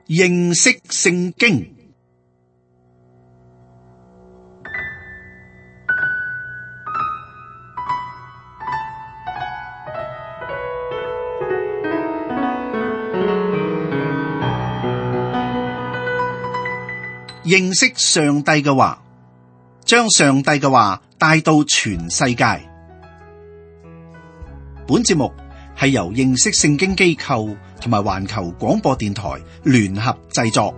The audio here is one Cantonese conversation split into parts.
認識聖經。認識上帝嘅話，將上帝嘅話帶到全世界。本節目係由認識聖經機構同埋環球廣播電台聯合製作。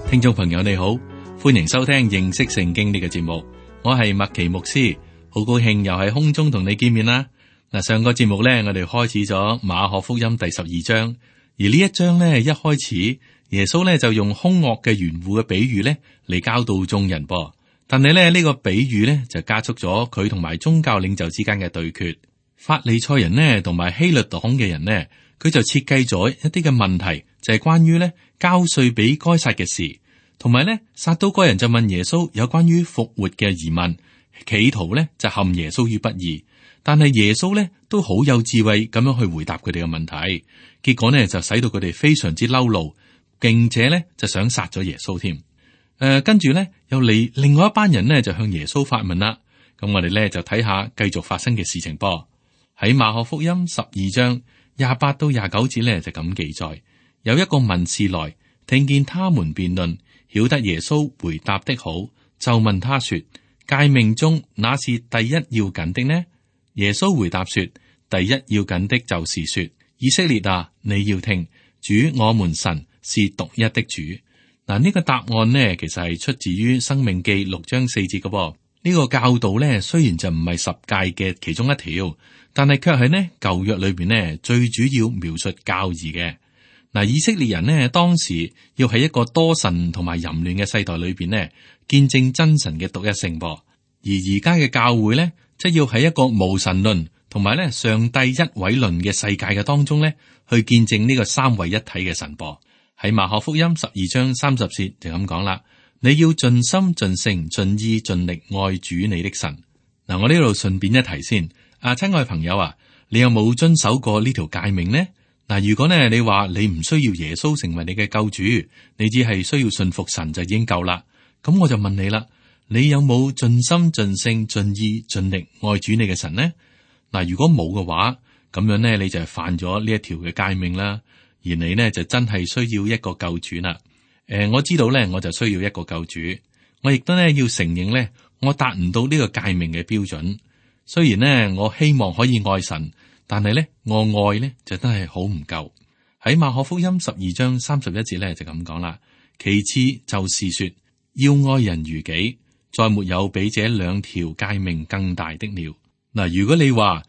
聽眾朋友你好，歡迎收聽認識聖經呢個節目，我係麥奇牧師，好高興又喺空中同你見面啦。嗱，上個節目咧，我哋開始咗馬可福音第12章，而呢一章咧，一開始耶穌咧就用兇惡嘅園戶嘅比喻咧嚟教導眾人噃。但係咧呢個比喻咧就加速咗佢同埋宗教領袖之間嘅對決。法利賽人呢同埋希律黨嘅人呢，佢就設計咗一啲嘅問題，就係關於咧交稅俾該撒嘅事，同埋咧撒都該人就問耶穌有關於復活嘅疑問，企圖咧就陷耶穌於不義。但係耶穌咧都好有智慧咁樣去回答佢哋嘅問題，結果呢就使到佢哋非常之嬲怒，並且咧就想殺咗耶穌添。跟住咧又嚟另外一班人呢就向耶穌發問啦。咁我哋咧就睇下繼續發生嘅事情噃。喺馬可福音12章28到29節咧就咁記載，有一個文士來，聽見他們辯論，曉得耶穌回答的好，就問他說：誡命中那是第一要緊的呢？耶穌回答說：第一要緊的就是說，以色列啊，你要聽，主我們神是獨一的主。嗱，呢個答案呢，其實係出自於申命記6章4節嘅噃。呢個教導呢，雖然就唔係十誡嘅其中一條，但係卻係呢舊約裏邊呢最主要描述教義嘅。嗱，以色列人呢，當時要喺一個多神同埋淫亂嘅世代裏邊呢，見證真神嘅獨一性噃。而家嘅教會呢，即要喺一個無神論同埋咧上帝一位論嘅世界嘅當中咧，去見證呢個三位一體嘅神噃。喺馬可福音12章30節就咁講啦，你要盡心盡性盡意盡力愛主你的神。嗱，我呢度順便一提先，親愛朋友啊，你有冇遵守過呢條誡命呢？嗱，如果呢你話你唔需要耶穌成為你嘅救主，你只係需要信服神就已經夠啦。咁我就問你啦。你有冇盡心盡性盡意盡力愛主你嘅神呢？嗱，如果冇嘅話，咁樣呢，你就係犯咗呢一條嘅誡命啦。而你呢，就真係需要一個救主啦。我知道呢，我就需要一個救主。我亦都呢要承認呢，我達唔到呢個誡命嘅標準。雖然呢，我希望可以愛神，但係呢，我愛呢就真係好唔夠。喺馬可福音12章31節呢，就咁講啦。其次就是說，要愛人如己。再沒有比這兩條誡命更大的了。嗱，如果你話，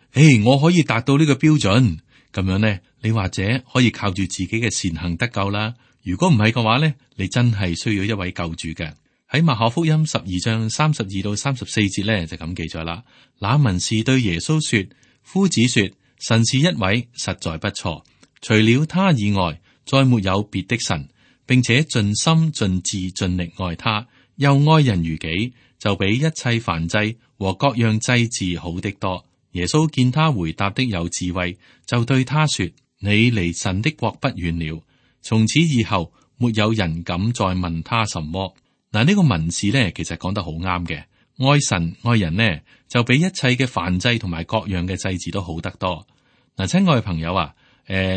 我可以達到呢個標準，咁樣呢，你或者可以靠住自己嘅善行得救啦。如果唔係嘅話呢，你真係需要一位救主嘅。喺馬可福音12章32到34節呢，就咁記載啦。那文士對耶穌說：夫子說，神是一位，實在不錯，除了他以外，再沒有別的神，並且盡心盡智盡力愛他。又愛人如己，就比一切燔祭和各樣祭祀好的多。耶穌見他回答的有智慧，就對他說：你離神的國不遠了。從此以後，沒有人敢再問他什麼。嗱，呢個文士呢，其實講得好啱嘅。愛神愛人呢，就比一切嘅燔祭同埋各樣嘅祭祀都好得多。嗱，親愛嘅朋友啊，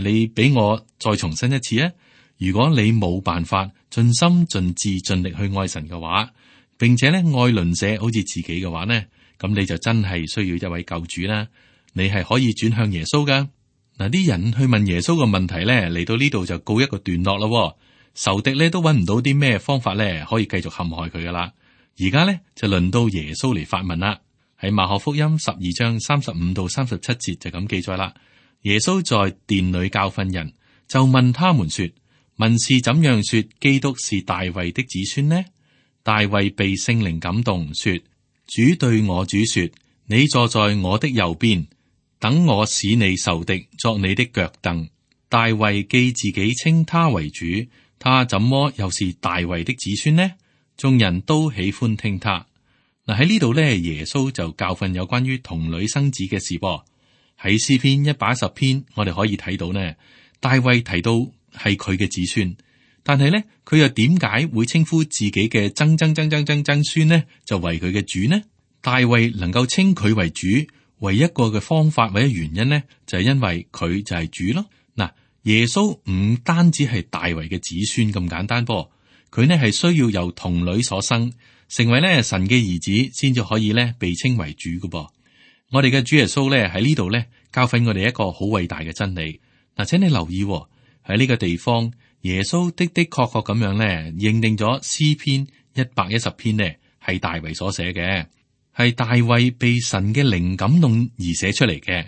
你俾我再重申一次啊！如果你冇辦法盡心盡智盡力去愛神嘅話，並且咧愛鄰舍好似自己嘅話呢，咁你就真係需要一位救主啦。你係可以轉向耶穌噶。嗱，啲人去問耶穌嘅問題咧，嚟到呢度就告一個段落咯。仇敵咧都揾唔到啲咩方法咧可以繼續陷害佢噶啦。而家咧就輪到耶穌嚟發問啦。喺馬可福音12章35到37節就咁記載啦。耶穌在殿裏教訓人，就問他們說：文士怎樣說基督是大衛的子孫呢？大衛被聖靈感動，說：主對我主說，你坐在我的右邊，等我使你仇敵作你的腳凳。大衛既自己稱他為主，他怎麼又是大衛的子孫呢？眾人都喜歡聽他。嗱，喺呢度咧，耶穌就教訓有關於童女生子嘅事噃。喺詩篇110篇，我哋可以睇到呢，大衛提到係佢嘅子孫，但係呢，佢又點解會稱呼自己嘅曾孫呢？就為佢嘅主呢？大衛能夠稱佢為主，唯一一個嘅方法或者原因呢，就係因為佢就係主咯。嗱，耶穌唔單止係大衛嘅子孫咁簡單噃，佢呢係需要由童女所生，成為呢神嘅兒子，先至可以呢被稱為主嘅噃。我哋嘅主耶穌呢喺呢度呢教訓我哋一個好偉大嘅真理。嗱，請你留意喺呢個地方，耶穌的確咁樣呢認定咗詩篇110篇呢係大衛所寫嘅。係大衛被神嘅靈感動而寫出嚟嘅。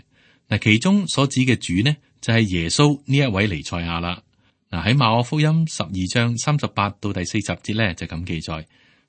嗱，其中所指嘅主呢，就係耶穌呢一位彌賽亞啦。嗱，喺馬可福音12章38到第40節呢，就咁記載：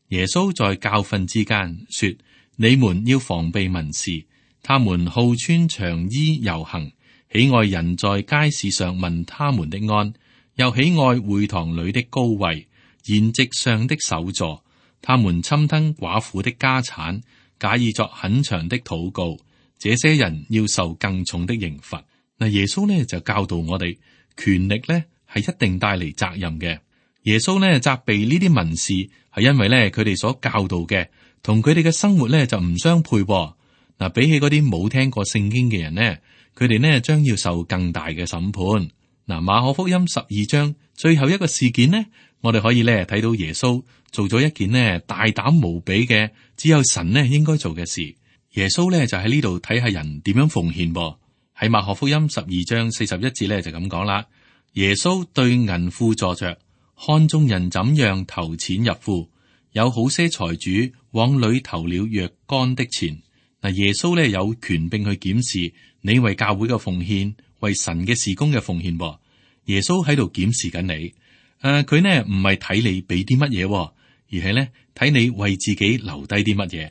耶穌在教訓之間說，你們要防備文士，他們好穿長衣遊行，喜愛人在街市上問他們的安，又喜愛會堂裏的高位、筵席上的首座。他們侵吞寡婦的家產，假意作很長的禱告，這些人要受更重的刑罰。嗱，耶穌呢就教導我哋，權力呢係一定帶嚟責任嘅。耶穌呢責備呢啲文士，係因為呢佢哋所教導嘅同佢哋嘅生活呢就唔相配。嗱，比起嗰啲冇聽過聖經嘅人呢，佢哋呢將要受更大嘅審判。嗱，馬可福音12章最後一個事件呢，我哋可以呢睇到耶穌做咗一件呢大膽無比嘅，只有神呢應該做嘅事。耶穌呢就喺呢度睇下人點樣奉獻噃。喺馬可福音12章41節呢就咁講啦。耶穌對銀庫坐着，看眾人怎樣投錢入庫，有好些財主往裏投了若干的錢。嗱，耶穌呢有權並去檢視你為教會嘅奉獻，為神嘅事工嘅奉獻噃。耶穌喺度檢視緊你。佢呢唔係睇你俾啲乜嘢，而係呢睇你為自己留低啲乜嘢。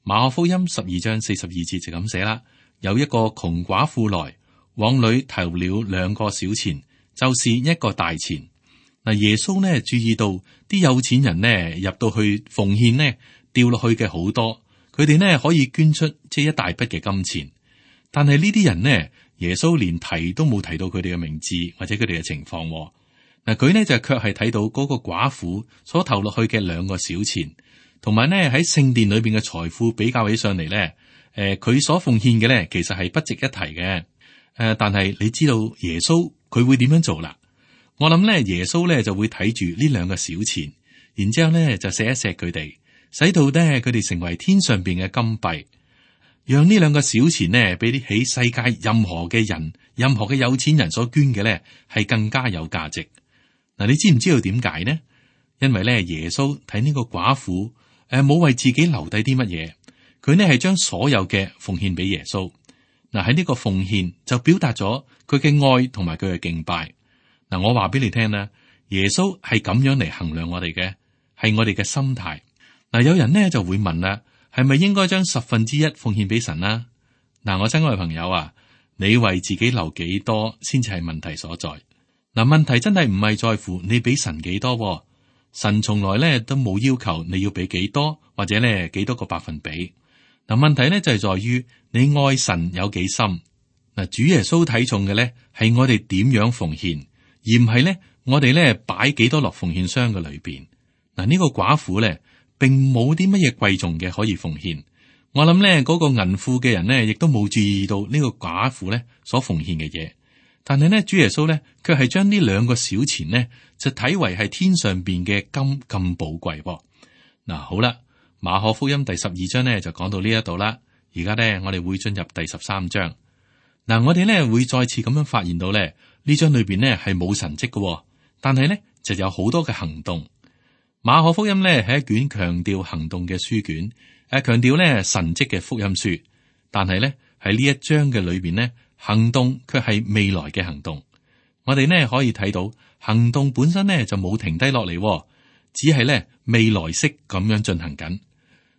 馬可福音12章42節就咁寫啦。有一個窮寡婦來，往裏投了2個小錢，就是1個大錢。嗱，耶穌呢注意到啲有錢人呢入到去奉獻呢掉落去嘅好多，佢哋呢可以捐出即係一大筆嘅金錢。但係呢啲人呢，耶穌連提都冇提到佢哋嘅名字或者佢哋嘅情況。嗱，佢呢就卻係睇到嗰個寡婦所投落去嘅2個小錢，同埋呢喺聖殿裏邊嘅財富比較起上嚟呢，佢所奉獻嘅呢其實係不值一提嘅。但係你知道耶穌佢會點樣做啦？我諗呢，耶穌呢就會睇住呢2個小錢，然之後呢就錫一錫佢哋，使到呢佢哋成為天上邊嘅金幣，讓呢2個小錢呢比起世界任何嘅人、任何嘅有錢人所捐嘅呢係更加有價值。嗱，你知唔知道點解呢？因為咧，耶穌睇呢個寡婦，冇為自己留低啲乜嘢，佢呢係將所有嘅奉獻俾耶穌。嗱，喺呢個奉獻就表達咗佢嘅愛同埋佢嘅敬拜。嗱，我話俾你聽啦，耶穌係咁樣嚟衡量我哋嘅，係我哋嘅心態。嗱，有人呢就會問啦，係咪應該將1/10奉獻俾神啦？嗱，我親愛嘅朋友啊，你為自己留幾多先至係問題所在。嗱，問題真係唔係在乎你俾神幾多，神從來咧都冇要求你要俾幾多，或者咧幾多個百分比。嗱，問題咧就係在於你愛神有幾深。嗱，主耶穌睇重嘅咧係我哋點樣奉獻，而唔係咧我哋咧擺幾多落奉獻箱嘅裏邊。嗱，呢個寡婦咧並冇啲乜嘢貴重嘅可以奉獻。我諗咧嗰個銀庫嘅人咧亦都冇注意到呢個寡婦咧所奉獻嘅嘢。但係呢，主耶穌咧，卻係將呢2個小錢呢，就睇為係天上邊嘅金咁寶貴噃。嗱，好啦，馬可福音第12章呢，就講到呢一度啦。而家呢，我哋會進入第13章。嗱，我哋呢會再次咁樣發現到咧，呢章裏邊呢係冇神蹟嘅，但係呢就有好多嘅行動。馬可福音呢係一卷強調行動嘅書卷，強調呢神蹟嘅福音書。但係呢喺呢一章嘅裏邊呢，行動卻係未來嘅行動。我哋呢可以睇到行動本身呢就冇停低落嚟，只係呢未來式咁樣進行緊。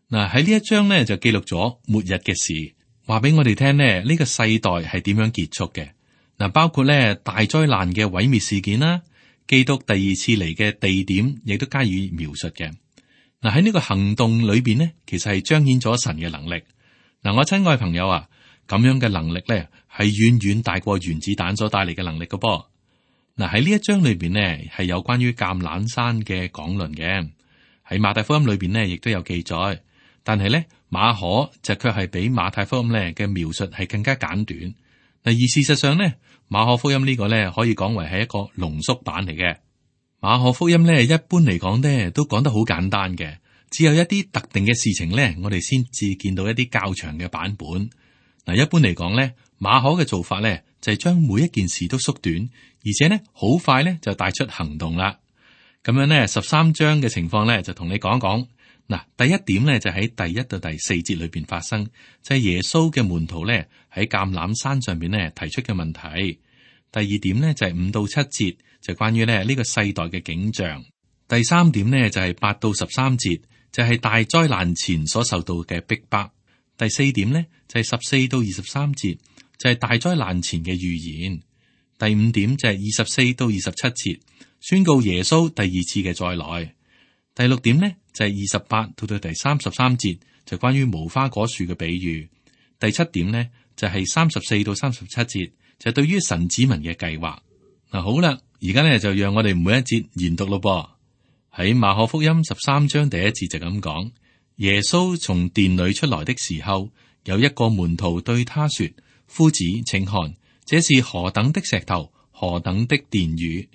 嗱，喺呢一章呢就記錄咗末日嘅事，話俾我哋聽呢個世代係點樣結束嘅。嗱，包括呢大災難嘅毀滅事件啦，基督第2次嚟嘅地點亦都加以描述嘅。嗱，喺呢個行動裏邊呢，其實係彰顯咗神嘅能力。嗱，我親愛朋友啊，咁樣嘅能力咧係遠遠大過原子彈所帶嚟嘅能力嘅噃。嗱，喺呢一章裏邊呢，係有關於橄欖山嘅講論嘅，喺馬太福音裏邊呢，亦都有記載，但係咧馬可就卻係比馬太福音咧嘅描述係更加簡短。嗱，而事實上呢，馬可福音呢個咧可以講為係一個濃縮版嚟嘅。馬可福音咧一般嚟講咧都講得好簡單嘅，只有一啲特定嘅事情咧，我哋先至見到一啲較長嘅版本。嗱，一般嚟講咧，馬可嘅做法咧就係將每一件事都縮短，而且咧好快咧就帶出行動啦。咁樣咧13章嘅情況咧就同你講講。嗱，第一點咧就喺第1到第4節裏邊發生，就係耶穌嘅門徒咧喺橄欖山上邊咧提出嘅問題。第二點咧就係5到7節，就關於咧呢個世代嘅景象。第3點咧就係8到13節，就係大災難前所受到嘅逼迫。第4點咧就係14到23節，就係大災難前嘅預言。第5點就係24到27節，宣告耶穌第二次嘅再來。第6點咧就係28到第33節，就關於無花果樹嘅比喻。第7點咧就係34到37節，就對於神子民嘅計劃。嗱，好啦，而家咧就讓我哋每一節研讀咯噃。喺馬可福音13章第1節就咁講：耶穌從殿裏出來的時候，有一個門徒對他說：夫子，請看，這是何等的石頭，何等的殿宇。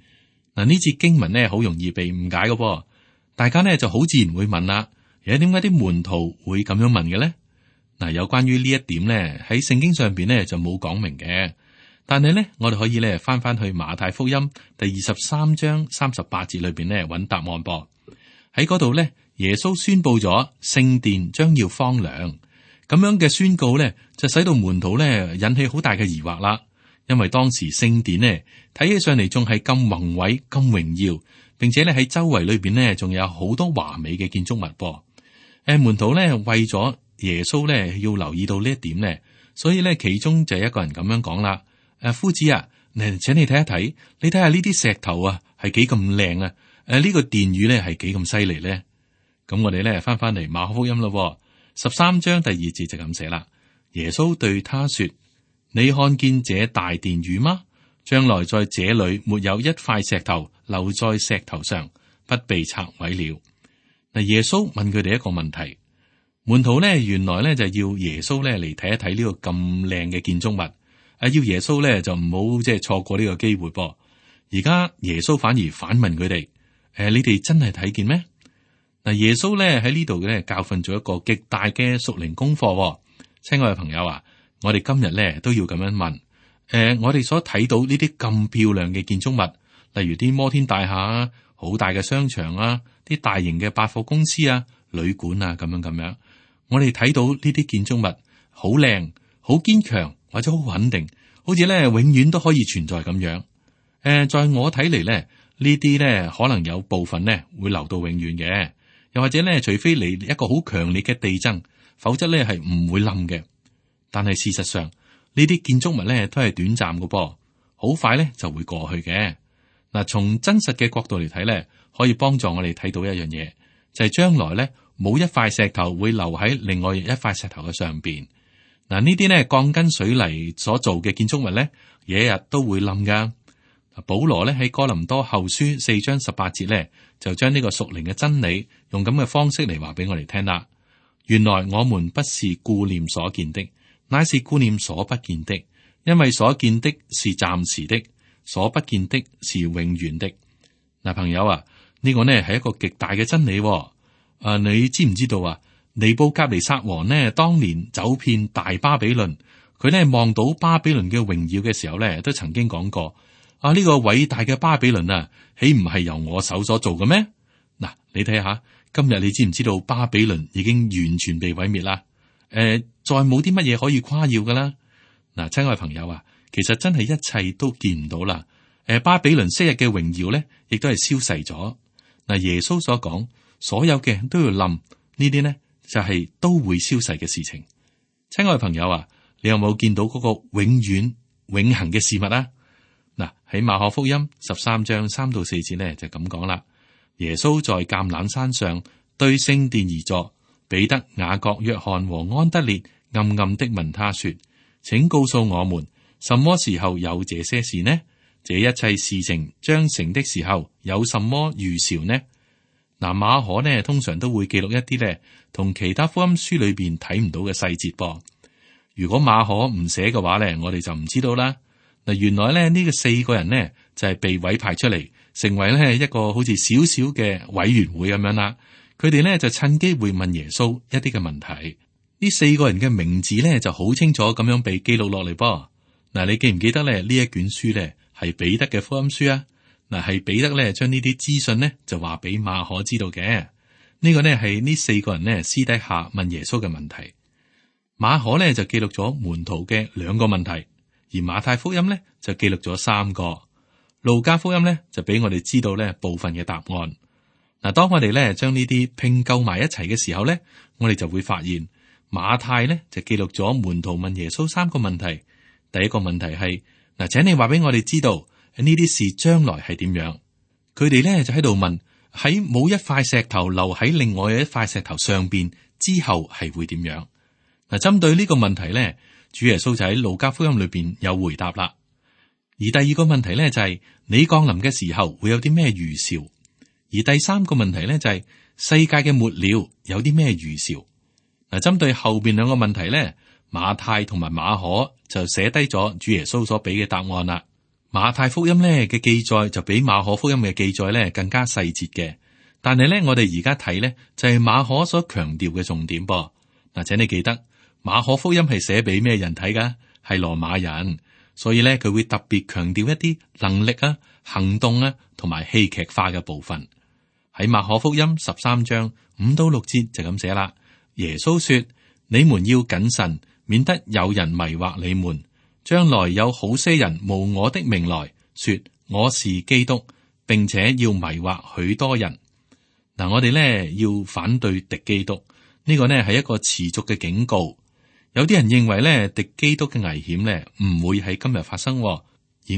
嗱，呢節經文呢好容易被誤解嘅噃，大家呢就好自然會問啦，點解啲門徒會咁樣問嘅咧？嗱，有關於呢一點呢，喺聖經上邊呢就冇講明嘅，但係呢，我哋可以呢翻去馬太福音第23章38節裏邊呢揾答案噃。喺嗰度呢，耶穌宣布咗聖殿將要荒涼，咁樣嘅宣告呢，就使到門徒呢引起好大嘅疑惑啦。因為當時聖殿呢睇起上嚟仲係咁宏偉、咁榮耀，並且咧喺周圍裏邊呢仲有好多華美嘅建築物噃。門徒呢為咗耶穌呢要留意到呢一點呢，所以呢其中就一個人咁樣講啦：夫子啊，請你睇一睇，你睇下呢啲石頭啊係幾咁靚啊！呢個殿宇呢係幾咁犀利呢？咁我哋呢翻嚟馬可福音咯，13章第2節就咁寫啦。耶穌對他說：你看見這大殿宇嗎？將來在這裏沒有一塊石頭留在石頭上，不被拆毀了。嗱，耶穌問佢哋一個問題，門徒呢原來呢就要耶穌呢嚟睇一睇呢個咁靚嘅建築物，要耶穌呢就唔好即係錯過呢個機會噃。而家耶穌反而反問佢哋：你哋真係睇見咩？嗱，耶穌呢喺呢度呢教訓咗一個極大嘅屬靈功課。親愛嘅朋友啊，我哋今日呢都要咁樣問。我哋所睇到呢啲咁漂亮嘅建築物，例如啲摩天大廈啊、好大嘅商場啊、啲大型嘅百貨公司啊、旅館啊，咁樣，我哋睇到呢啲建築物好靚、好堅強或者好穩定，好似咧永遠都可以存在咁樣。在我睇嚟咧，呢啲咧可能有部分咧會留到永遠嘅，又或者咧，除非嚟一個好強烈嘅地震，否則咧係唔會冧嘅。但係事實上，呢啲建築物咧都係短暫嘅噃，好快咧就會過去嘅。嗱，從真實嘅角度嚟睇咧，可以幫助我哋睇到一樣嘢，就係將來咧冇一塊石頭會留喺另外一塊石頭嘅上邊。嗱，呢啲咧鋼筋水泥所做嘅建築物咧，日日都會冧噶。保羅咧喺哥林多後書4章18節咧，就將呢個屬靈嘅真理用咁嘅方式嚟話俾我哋聽啦。原來我們不是顧念所見的，乃是顧念所不見的，因為所見的是暫時的，所不見的是永遠的。嗱，朋友啊，呢個呢係一個極大嘅真理。你知唔知道啊？尼布甲尼撒王呢，當年走遍大巴比倫，佢呢望到巴比倫嘅榮耀嘅時候呢，都曾經講過：呢個偉大嘅巴比倫啊，豈唔係由我手所做嘅咩？嗱，你睇下，今日你知唔知道巴比倫已經完全被毀滅啦？再冇啲乜嘢可以誇耀噶啦。嗱，親愛朋友啊，其實真係一切都見唔到啦。巴比倫昔日嘅榮耀咧，亦都係消逝咗。嗱，耶穌所講，所有嘅都要冧，呢啲呢就係都會消逝嘅事情。親愛朋友啊，你有冇見到嗰個永遠永恆嘅事物啊？嗱，喺馬可福音13章3到4節呢，就咁講啦。耶穌在橄欖山上對聖殿而坐，彼得、雅各、約翰和安德烈暗暗的問他說：請告訴我們，什麼時候有這些事呢？這一切事情將成的時候，有什麼預兆呢？嗱，馬可呢通常都會記錄一啲呢同其他福音書裏邊睇唔到嘅細節噃。如果馬可唔寫嘅話呢，我哋就唔知道啦。嗱，原來咧呢個4個人呢就係被委派出嚟，成為咧一個好似少少嘅委員會咁樣啦。佢哋呢就趁機會問耶穌一啲嘅問題。呢4個人嘅名字呢就好清楚咁樣被記錄落嚟噃。嗱，你記唔記得咧呢一卷書呢係彼得嘅福音書啊？嗱，係彼得咧將呢啲資訊呢就話俾馬可知道嘅。呢個呢係呢4個人呢私底下問耶穌嘅問題。馬可呢就記錄咗門徒嘅2個問題，而馬太福音呢就記錄咗3個。路加福音呢就俾我哋知道呢部分嘅答案。嗱，當我哋呢將呢啲拼湊埋一齊嘅時候呢，我哋就會發現馬太呢就記錄咗門徒問耶穌3個問題。第一個問題係嗱，請你話俾我哋知道呢啲事將來係點樣？佢哋咧就喺度問，喺冇一塊石頭留喺另外一塊石頭上邊之後係會點樣？嗱，針對呢個問題咧，主耶穌就喺路加福音裏邊有回答啦。而第二個問題咧就係你降臨嘅時候會有啲咩預兆？而第三個問題咧就係世界嘅末了有啲咩預兆？嗱，針對後邊2個問題咧，馬太同埋馬可就寫低咗主耶穌所俾嘅答案啦。馬太福音咧嘅記載就比馬可福音嘅記載咧更加細節嘅，但係咧我哋而家睇咧就係馬可所強調嘅重點噃。嗱，請你記得馬可福音係寫俾咩人睇噶？係羅馬人，所以咧佢會特別強調一啲能力啊、行動啊同埋戲劇化嘅部分。喺馬可福音13章5到6節就咁寫啦。耶穌說：你們要謹慎，免得有人迷惑你們。將來有好些人冒我的名來說我是基督，並且要迷惑許多人。嗱，我哋咧要反對敵基督，呢個呢係一個持續嘅警告。有啲人認為咧敵基督嘅危險咧唔會喺今日發生，而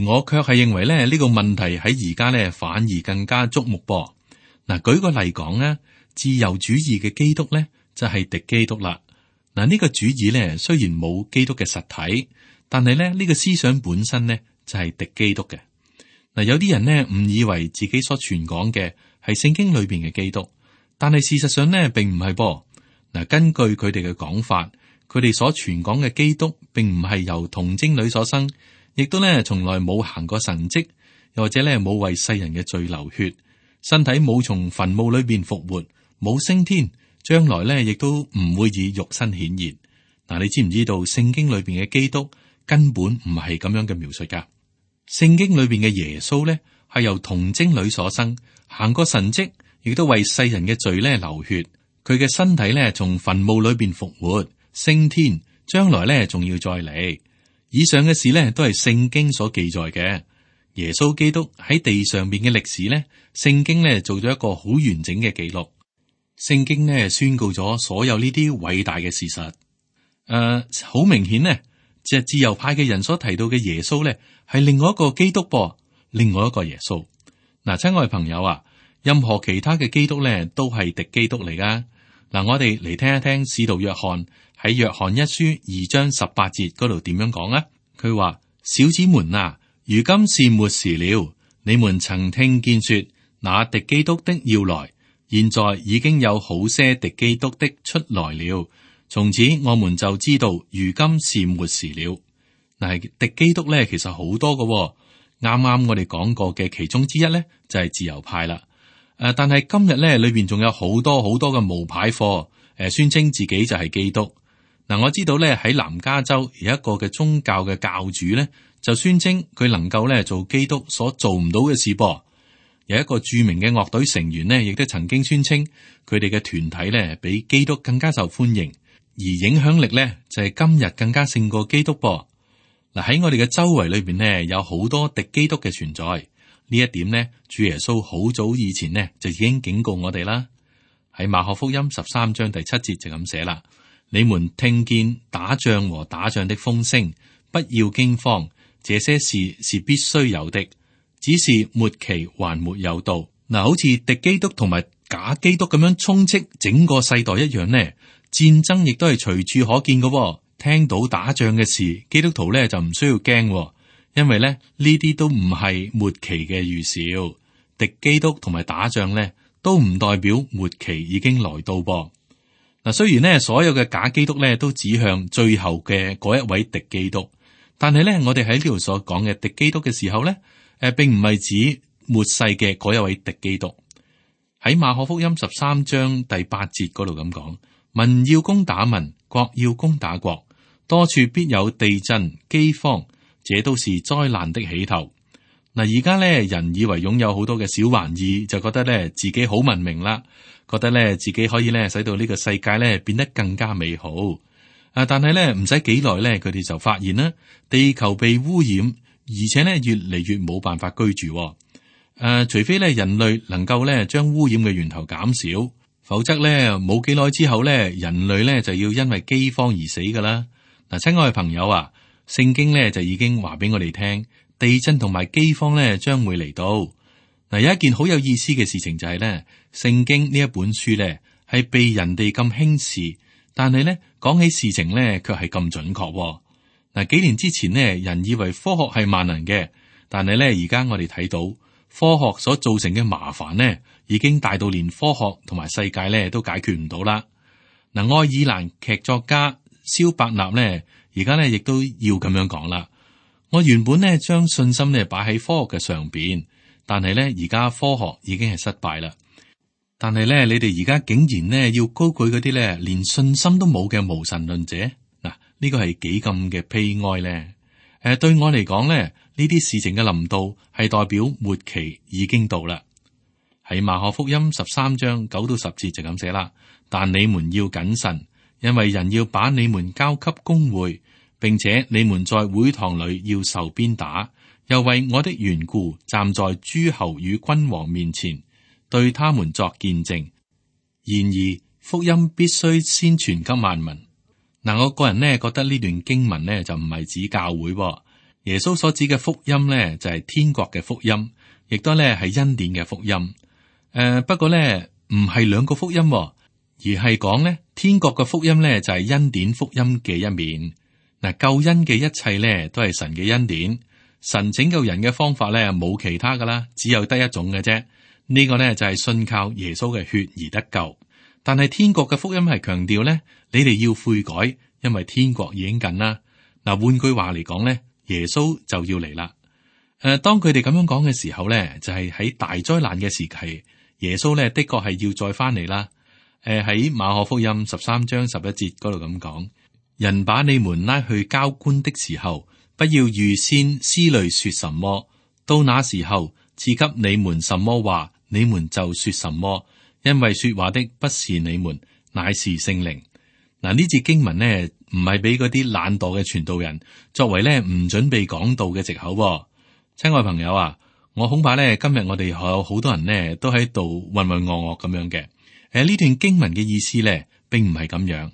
我卻係認為咧呢個問題喺而家咧反而更加矚目噃。嗱，舉個例講咧，自由主義嘅基督咧就係敵基督啦。嗱，呢個主義咧雖然冇基督嘅實體，但係咧呢個思想本身咧就係敵基督嘅。嗱，有啲人呢誤以為自己所傳講嘅係聖經裏邊嘅基督，但係事實上呢並唔係噃。嗱，根據佢哋嘅講法，佢哋所傳講嘅基督並唔係由童貞女所生，亦都咧從來冇行過神蹟，又或者咧冇為世人嘅罪流血，身體冇從墳墓裏邊復活，冇升天，將來咧亦都唔會以肉身顯現。嗱，你知唔知道聖經裏邊嘅基督根本唔係咁樣嘅描述噶？聖經裏邊嘅耶穌咧係由童貞女所生，行過神蹟，亦都為世人嘅罪咧流血。佢嘅身體咧從墳墓裏邊復活，升天，將來咧仲要再嚟。以上嘅事咧都係聖經所記載嘅。耶穌基督喺地上邊嘅歷史咧，聖經咧做咗一個好完整嘅記錄。聖經咧宣告咗所有呢啲偉大嘅事實。好明顯呢，即係自由派嘅人所提到嘅耶穌咧，係另外一個基督噃，另外一個耶穌。嗱，親愛朋友啊，任何其他嘅基督咧，都係敵基督嚟噶。嗱，我哋嚟聽一聽使徒約翰喺約翰一書2章18節嗰度點樣講啊？佢話：小子們啊，如今是末時了。你們曾聽見說那敵基督的要來，現在已經有好些敵基督的出來了。從此我們就知道，如今是末時了。嗱，敵基督咧，其實好多嘅。啱啱我哋講過嘅其中之一咧，就係自由派啦。但係今日咧，裏邊仲有好多好多嘅冒牌貨，宣稱自己就係基督。嗱，我知道咧喺南加州有一個嘅宗教嘅教主咧，就宣稱佢能夠咧做基督所做唔到嘅事噃。有一個著名嘅樂隊成員呢，亦都曾經宣稱佢哋嘅團體咧比基督更加受歡迎，而影響力咧就係今日更加勝過基督噃。嗱，喺我哋嘅周圍裏邊呢，有好多敵基督嘅存在。呢一點呢，主耶穌好早以前呢就已經警告我哋啦。喺馬可福音13章第7節就咁寫啦：你們聽見打仗和打仗的風聲，不要驚慌，這些事是必須有的，只是末期還沒有到。嗱，好似敵基督同埋假基督咁樣充斥整個世代一樣呢，戰爭亦都係隨處可見嘅，聽到打仗嘅事，基督徒咧就唔需要驚，因為咧呢啲都唔係末期嘅預兆。敵基督同埋打仗咧都唔代表末期已經來到噃。嗱，雖然咧所有嘅假基督咧都指向最後嘅嗰一位敵基督，但係咧我哋喺呢度所講嘅敵基督嘅時候咧，並唔係指末世嘅嗰一位敵基督。喺馬可福音13章第8節嗰度咁講，民要攻打民，國要攻打國，多處必有地震、饑荒，這都是災難的起頭。嗱，而家咧人以為擁有好多嘅小玩意，就覺得咧自己好文明啦，覺得咧自己可以咧使到呢個世界咧變得更加美好。但係咧唔使幾耐咧，佢哋就發現啦，地球被污染，而且咧越嚟越冇辦法居住。除非咧人類能夠咧將污染嘅源頭減少，否則咧冇幾耐之後咧，人類咧就要因為饑荒而死噶啦。嗱，親愛嘅朋友啊，聖經咧就已經話俾我哋聽，地震同埋饑荒咧將會嚟到。嗱，有一件好有意思嘅事情就係咧，聖經呢一本書咧係被人哋咁輕視，但係咧講起事情咧卻係咁準確。嗱，幾年之前呢，人以為科學係萬能嘅，但係咧而家我哋睇到。科學所造成嘅麻煩呢，已經大到連科學同埋世界呢都解決唔到啦。嗱，愛爾蘭劇作家蕭伯納呢，而家呢亦都要咁樣講啦。我原本呢將信心呢擺喺科學嘅上邊，但係呢而家科學已經係失敗啦。但係呢，你哋而家竟然呢要高舉嗰啲呢連信心都冇嘅無神論者，嗱，呢個係幾咁嘅悲哀呢？對我嚟講呢。呢啲事情嘅臨到係代表末期已經到啦。喺馬可福音13章9到10節就咁寫啦。但你們要謹慎，因為人要把你們交給公會，並且你們在會堂裏要受鞭打，又為我的緣故站在諸侯與君王面前，對他們作見證。然而福音必須先傳給萬民。嗱，我個人呢覺得呢段經文呢就唔係指教會。耶穌所指嘅福音咧，就係天國嘅福音，亦都咧係恩典嘅福音。不過咧唔係兩個福音，而係講咧天國嘅福音咧就係恩典福音嘅一面。嗱，救恩嘅一切咧都係神嘅恩典，神拯救人嘅方法咧冇其他噶啦，只有得一種嘅啫。呢個咧就係信靠耶穌嘅血而得救。但係天國嘅福音係強調咧，你哋要悔改，因為天國已經近啦。嗱，換句話嚟講咧。耶穌就要嚟啦。當佢哋咁樣講嘅時候咧，就係喺大災難嘅時期，耶穌咧的確係要再翻嚟啦。喺馬可福音13章11節嗰度咁講，人把你們拉去交官的時候，不要預先思慮說什麼，到那時候賜給你們什麼話，你們就說什麼，因為說話的不是你們，乃是聖靈。嗱，呢節經文呢，唔係俾嗰啲懶惰嘅傳道人作為咧唔準備講道嘅藉口。親愛朋友啊，我恐怕咧今日我哋有好多人呢都喺度渾渾噩噩咁樣嘅。呢段經文嘅意思咧，並唔係咁樣。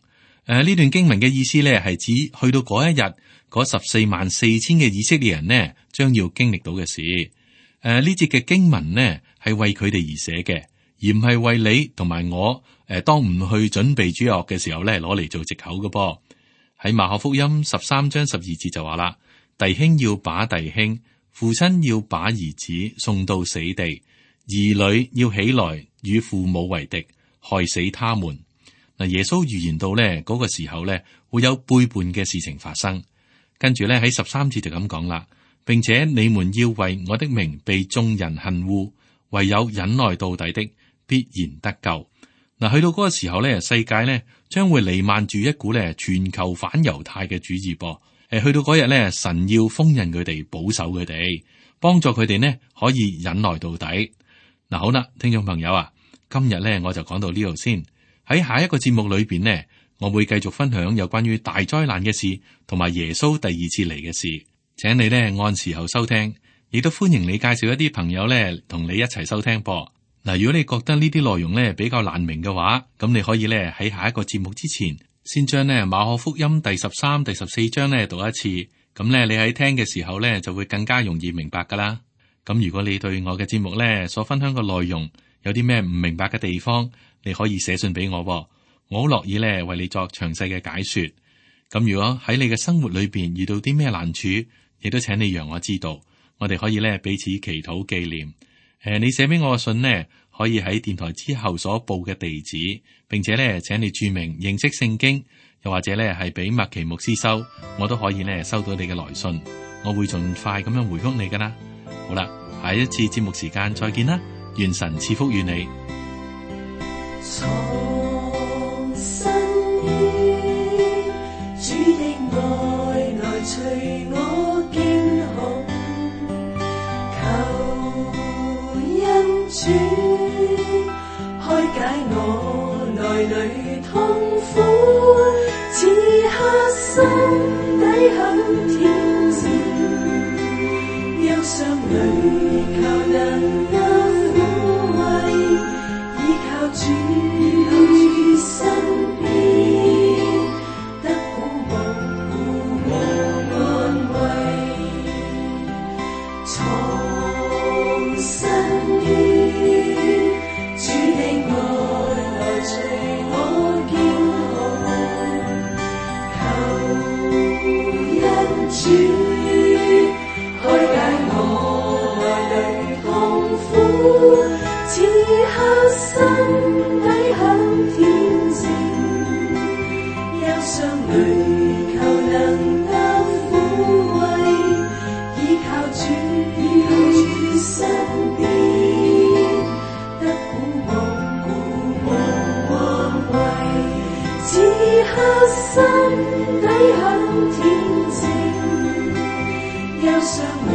呢段經文嘅意思咧，係指去到嗰一日，嗰144000嘅以色列人呢，將要經歷到嘅事。呢節嘅經文呢，係為佢哋而寫嘅，而唔係為你同埋我。當唔去準備主日學嘅時候咧，攞嚟做藉口嘅噃。喺馬可福音13章12節就話啦，弟兄要把弟兄，父親要把兒子送到死地，兒女要起來與父母為敵，害死他們。嗱，耶穌預言到咧嗰個時候咧會有背叛嘅事情發生。跟住咧喺13節就咁講啦，並且你們要為我的名被眾人恨惡，唯有忍耐到底的必然得救。嗱，去到嗰個時候咧，世界咧將會彌漫住一股咧全球反猶太嘅主義噃。去到嗰日咧，神要封印佢哋，保守佢哋，幫助佢哋呢可以忍耐到底。嗱，好啦，聽眾朋友啊，今日咧我就講到呢度先。喺下一個節目裏邊呢，我會繼續分享有關於大災難嘅事，同埋耶穌第二次嚟嘅事。請你咧按時候收聽，亦都歡迎你介紹一啲朋友咧同你一齊收聽噃。嗱，如果你覺得呢啲內容咧比較難明嘅話，咁你可以咧喺下一個節目之前，先將咧馬可福音第13、第14章咧讀一次，咁咧你喺聽嘅時候咧就會更加容易明白噶啦。咁如果你對我嘅節目咧所分享嘅內容有啲咩唔明白嘅地方，你可以寫信俾我，我好樂意咧為你作詳細嘅解說。咁如果喺你嘅生活裏邊遇到啲咩難處，亦都請你讓我知道，我哋可以咧彼此祈禱紀念。你寫俾我嘅信呢，可以喺電台之後所報嘅地址，並且咧請你注明認識聖經，又或者咧係俾麥奇牧師收，我都可以咧收到你嘅來信，我會盡快咁樣回覆你噶啦。好啦，下一次節目時間再見啦，願神賜福與你。藏身於主的愛來隨我驚恐，求恩主開解我內裏痛苦，此刻心底很恬靜，憂傷裏求能夠撫慰，依靠主身邊，得鼓舞和安慰。藏身於主的愛來隨我驚恐，求恩主開解我內裏痛苦，此刻心底很恬靜，憂傷裏求能得撫慰，依靠主身邊，得鼓舞安慰，此刻心底很恬靜，憂傷裏